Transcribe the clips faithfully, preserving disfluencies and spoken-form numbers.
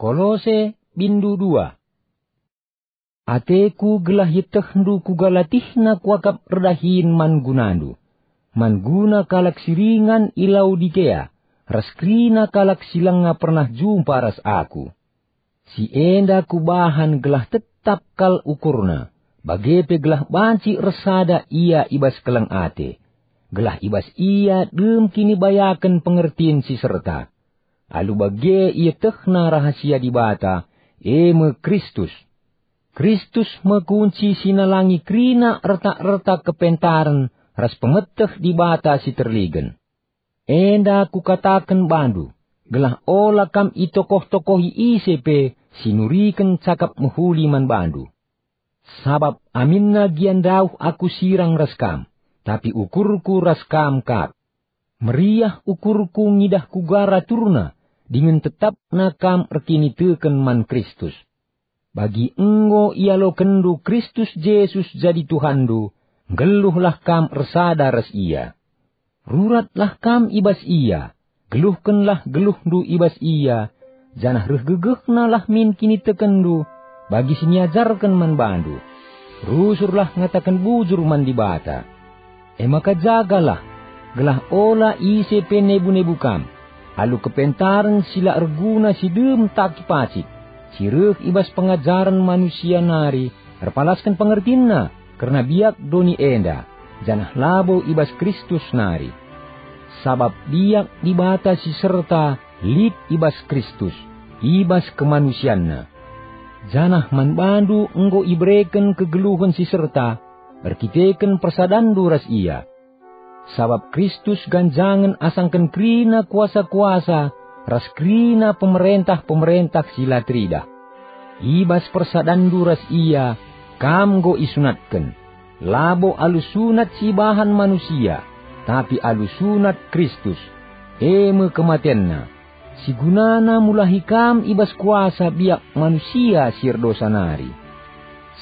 Kolose, bindu dua. Ateku gelah ietehndu kuga latihna kuakap erdahin man gunandu, man guna kalak si ringan i Laodikea, ras kerina kalak si langa pernah jumpa ras aku. Si enda kubahan gelah tetap kal ukurna, bage pe gelah banci ersada ia i bas keleng ate, gelah i bas ia dem kinibayaken pengertin si serta. Alu bage ietehna rahasia Dibata, e me Kristus. Kristus me kunci si nalangi kerina erta-erta kepentaren ras pemeteh Dibata si terligen. Enda kukataken bandu, gelah ola kam itokoh-tokohi ise pe si nuriken cakap mehuli man bandu. Sabap aminna gia ndauh aku sirang ras kam, tapi ukurku ras kam kap. Meriah ukurku ngidah kuga raturna dingen tetapna kam erkiniteken man Kristus. Bagi enggo ialokenndu Kristus Jesus jadi Tuhanndu, nggeluhlah kam ersada ras Ia. Ruratlah kam i bas Ia, geluhkenlah geluhndu i bas Ia, janah reh gegehna lah min kinitekenndu bagi si niajarken man bandu. Rusurlah ngataken bujur man Dibata. E maka jagalah, gelah ola ise pe nebu-nebu kam, alu kepentaren si la erguna si dem takipacik, si reh i bas pengajaren manusia nari erpalasken pengertinna kerna biak doni enda, janah labo i bas Kristus nari. Sabap biak Dibata si serta lit i bas Kristus, i bas kemanusianNa. Janah man bandu enggo ibereken kegeluhen si serta, erkiteken persadanndu ras Ia. Sabap Kristus ganjangen asangken kerina kuasa-kuasa ras kerina pemerentah-pemerentah si la teridah. I bas persadanndu ras Ia, kam enggo isunatken, labo alu sunat si ibahan manusia, tapi alu sunat Kristus, e me kematenNa, si gunana mulahi kam i bas kuasa biak manusia si erdosa nari.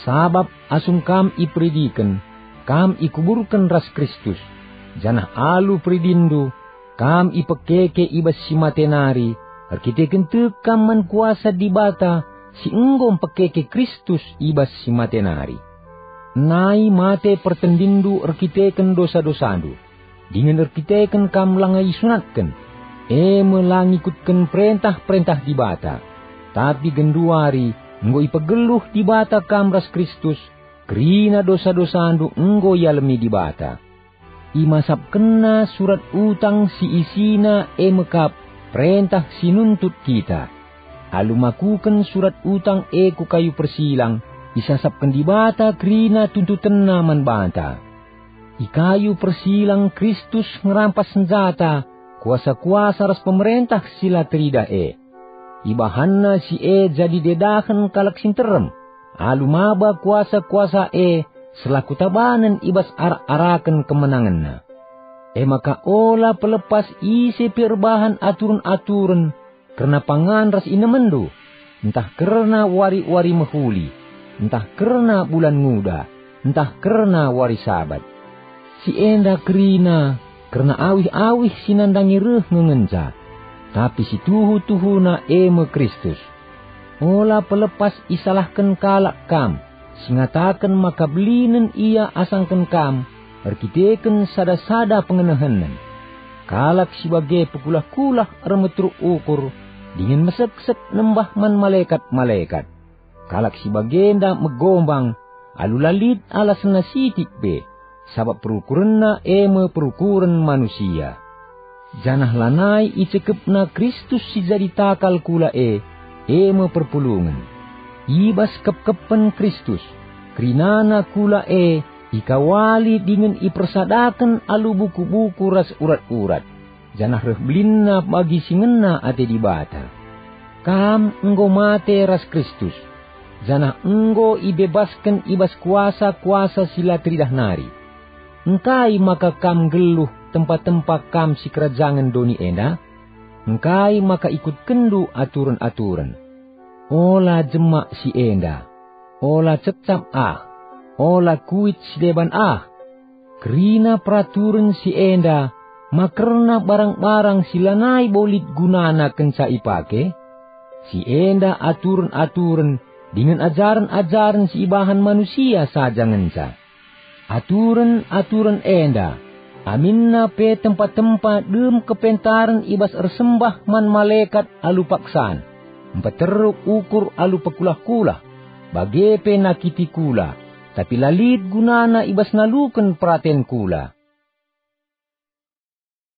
Sabap asum kam iperidiken, kam ikuburken ras Kristus, janah alu peridindu, kam ipekeke i bas si mate nari, erkiteken tek kam man kuasa Dibata si enggo mpekeke Kristus i bas si mate nari. Nai mate pertendinndu erkiteken dosa-dosandu, dingen erkiteken kam langa isunatken, e me la ngikutken perentah-perentah Dibata. Tapi genduari enggo ipegeluh Dibata kam ras Kristus, kerina dosa-dosandu enggo ialemi Dibata. ImasapkenNa surat utang si isina e me kap perentah si nuntut kita. Alu makuken surat utang e ku kayu persilang, isasapken Dibata kerina tuntutenNa man banta. I kayu persilang Kristus ngerampas senjata, kuasa-kuasa ras pemerentah si la teridah e. IbahanNa si e jadi dedahen kalak si nterem, alu maba kuasa-kuasa e selaku tabanen i bas arak-araken kemenangenNa. E maka ola pelepas ise pe erbahan aturen-aturen kerna pangan ras inemenndu, ntah kerna wari-wari mehuli, ntah kerna bulan nguda, ntah kerna wari Sabat. Si enda kerina kerna awih-awih si nandangi reh nge ngenca, tapi si tuhu-tuhuna e me Kristus. Ola pelepas isalahken kalak kam, si ngataken maka belinen ia asangken kam erkiteken sada-sada pengenehenen. Kalak si bage pekulah-kulah ermeteruk ukur dingen meseksek nembah man malekat-malekat. Kalak si bagenda megombang alu la lit alasenna sitik pe, sabap perukurenna e me perukuren manusia. Janah lanai icekepna Kristus si jadi takal kula e, e me perpulungen. I bas kepkepen Kristus, kerinana kula e ikawali dingen ipersadaken alu buku-buku ras urat-urat, janah reh belinna bagi si ngena ate Dibata. Kam enggo mate ras Kristus, janah enggo ibebasken i bas kuasa-kuasa si la teridah nari. Engkai maka kam nggeluh tempa-tempa kam sikerajangen doni enda? Engkai maka ikutkenndu aturen-aturen? Ola jemak si enda, ola cecap ah, ola kuit si deban ah. Kerina peraturen si enda ma kerna barang-barang si lanai bo lit gunana kenca ipake? Si enda aturen-aturen dingen ajaren-ajaren si ibahan manusia saja ngenca. Aturen-aturen enda, aminna pe tempa-tempa dem kepentaren i bas ersembah man malekat alu paksan, mpeteruk ukur alu pekulah-kulah, bage pe nakiti kula, tapi la lit gunana i bas naluken peraten kula.